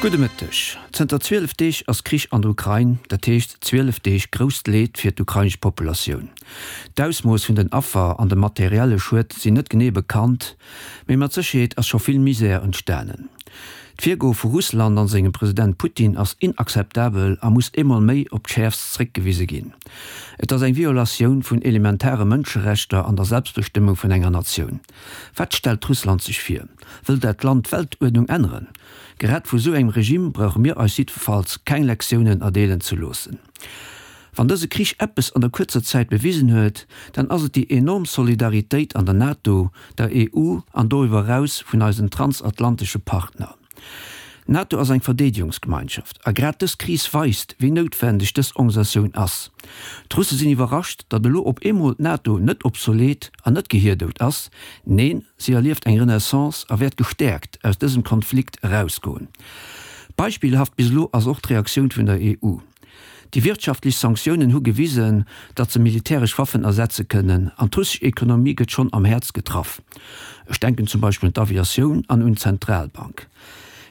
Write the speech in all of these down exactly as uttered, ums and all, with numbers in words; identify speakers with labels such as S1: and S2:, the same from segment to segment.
S1: Gudde Mëtteg. Zënter zwielef Deeg ass Krich an der Ukrain, dat heescht zwielef Deeg grousst Leed fir d'ukrainesch Populatioun. D'Ausmooss vun den Affer an de materielle Schued sinn net genee bekannt, mee mat Sécherheet ass scho vill Misär entstanen. D'Virgoe vu Russland an sengem President Putin ass inakzeptabel a muss eemol méi op d'Schäerfst zréckgewise ginn. Et ass eng Violatioun vun elementare Mënscherechter an der Selbstbestëmmung vun enger Natioun. Wat stellt Russland sech vir? Wëll dat Land d'Weltuerdnung änneren? Grad vu sou engem Regime brauche mir eis jiddefalls keng Lektiounen erdeelen ze loossen. Wann dëse Krich eppes an der kuerzer Zäit bewisen huet, dann ass et déi enorm Solidaritéit an der NATO, der E U an doriwwer eraus vun eisen transatlantesche Partner. D'NATO ass eng Verdeedegungsgemeinschaft a grad dës Kris weist, wéi noutwendeg dës Organisatioun ass. D'Russe sinn iwwerrascht, datt elo op eemol d'NATO net obsolet an net gehierdout ass. Neen, si erlieft eng Renaissance a wäert gestäerkt aus dësem Konflikt erausgoen. Beispillhaft bis elo ass och d'Reaktioun vun der E U. Déi wirtschaftlech Sanktiounen hu gewisen, datt se militäresch Waffen ersetze kënnen, an d'russesch Ekonomie gëtt schonn am Häerz getraff. Ech denken zum Beispill un d'Aviatioun an un d'Zentralbank.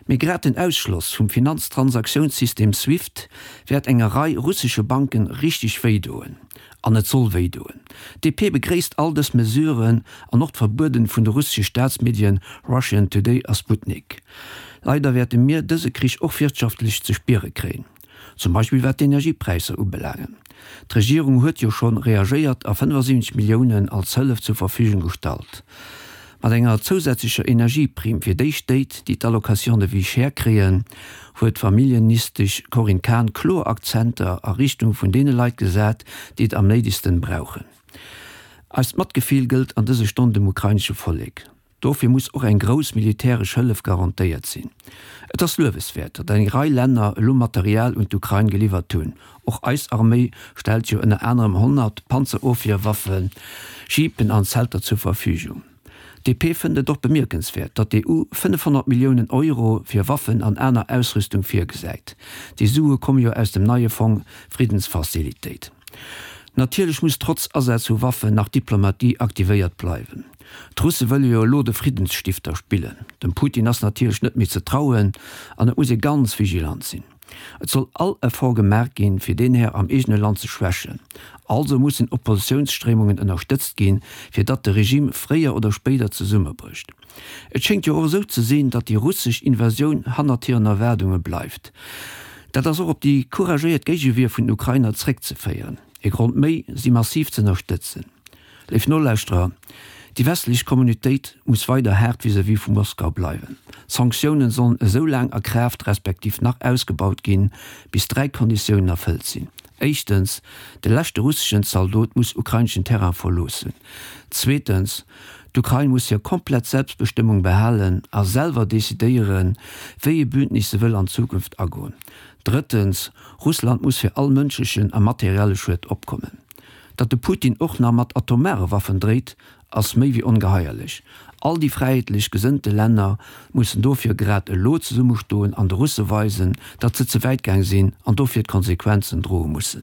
S1: Mee grad den Ausschloss vum Finanztransaktiounssystem SWIFT wäert enger Rei russesche Banken richteg wéi doen. An et soll wéi doen. D P begréisst all dës Mesuren an och d'Verbueden vun de russesche Staatsmedien Russian Today a Sputnik. Leider wäerte mir dëse Krich och wirtschaftlech ze spiere kréien. Zum Beispill wat d'Energiepräisser ubelaangen. D'Regierung huet jo schonn reagéiert a fënnefasiwwenzeg Milliounen als Hëllef zur Verfügung gestallt. Mat enger zousätzlecher Energieprimm fir déi Stéit, déi d'Allocation de vie chère kréien, huet d'Familljeministesch Corinne Cahen kloer Akzenter a Richtung vun deene Leit gesat, déi et am néidegsten brauchen. Eist Matgefill gëllt an dëse Stonnen dem ukrainesche Vollek. Dofir muss och eng grouss militäresch Hëllef garantéiert sinn. Et ass lueweswäert, datt eng Rei Länner elo Material un d'Ukrain geliwwert hunn. Och eis Arméi stellt jo ënner anerem honnert Panzerofwierwaffen, Jeepen an Zelter zur Verfügung. D P fënnt et och bemierkenswäert, datt d'E U fënnefhonnert Milliounen Euro fir Waffen an aner Ausrüstung virgesäit. Déi Sue komme jo aus dem neie Fong Friddensfazilitéit. Natierlech muss trotz Asaz vu Waffen nach d'Diplomatie aktivéiert bleiwen. D'Russe wëlle jo elo de Friddensstifter spillen. Dem Putin ass natierlech net méi ze trauen an et muss ee ganz vigilant sinn. Et soll all Effort gemaach ginn, fir deen Här am eegene Land ze schwächen. Also mussen Oppositiounsstréimungen ënnerstëtzt ginn, fir datt de Regime fréier oder spéider zesummebrécht. Et schéngt jo och esou ze sinn, datt déi russesch Invasioun hannert hiren Erwaardunge bleift. Dat ass och op déi couragéiert Géigewier vun den Ukrainer zréckzeféieren. E Grond méi, si massiv ze ënnerstëtzen. Léif Nolauschterer, déi westlech Communautéit muss weider haart vis-à-vis vu Moskau bleiwen. D'Sanktiounen sollen esou laang a Kraaft respektiv nach ausgebaut ginn, bis dräi Konditiounen erfëllt sinn, Éischtens, de leschte russeschen Zaldot muss ukraineschen Terrain verloossen. Zweetens, d'Ukrain muss hir komplett Selbstbestëmmung behalen a selwer decidéieren, wéi ee Bündnis se wëll an Zukunft agoen. Drëttens, Russland muss fir all mënschlechen a materielle Schued opkommen. Datt de Putin och nach mat atomare Waffen dréit, ass méi wéi ongeheierlech. All déi fräiheetlech gesënnte Länner mussen dofir grad elo zesummestoen an de Russe weisen, datt se ze wäit gaang sinn an dofir d'Konsequenzen droe mussen.